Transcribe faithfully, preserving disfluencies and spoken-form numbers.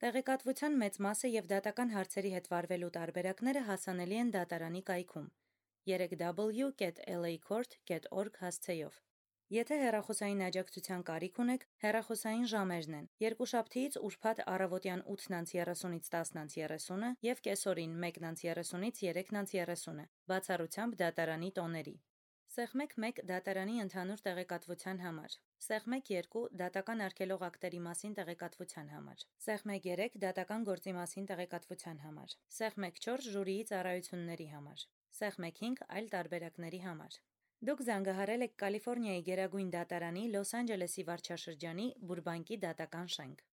Տեղեկատվության մեծ մասը և դատական հարցերի հետ վարվելու տարբերակները հասանելի են դատարանի կայքում երեք w կետ էլ էյ քորթ կետ օրգ հասցեով։ Եթե հեռախոսային աջակցության կարիք ունեք, հեռախոսային ժամերն են՝ երկուշաբթիից ուրբաթ առավոտյան ութ երեսունից տասն երեսուն և կեսօրին մեկ երեսունից երեք երեսուն, բացառությամբ դատարանի տոների։ Սեղմեք մեկ դատարանի ընդհանուր տեղեկատվության համար, Սեղմեք երկու դատական արգելող ակտերի մասին տեղեկատվության համար, Սեղմեք երեք դատական գործի մասին տեղեկատվության համար, Սեղմեք չորս ժյուրիի ծառայությունների համար, Սեղմեք հինգ այլ տարբերակների համար։ Դուք զանգահարել եք Կալիֆոռնիայի գերագույն դատարանի Լոս Անջելեսի վարչաշրջանի Բուրբանկի դատական շենք։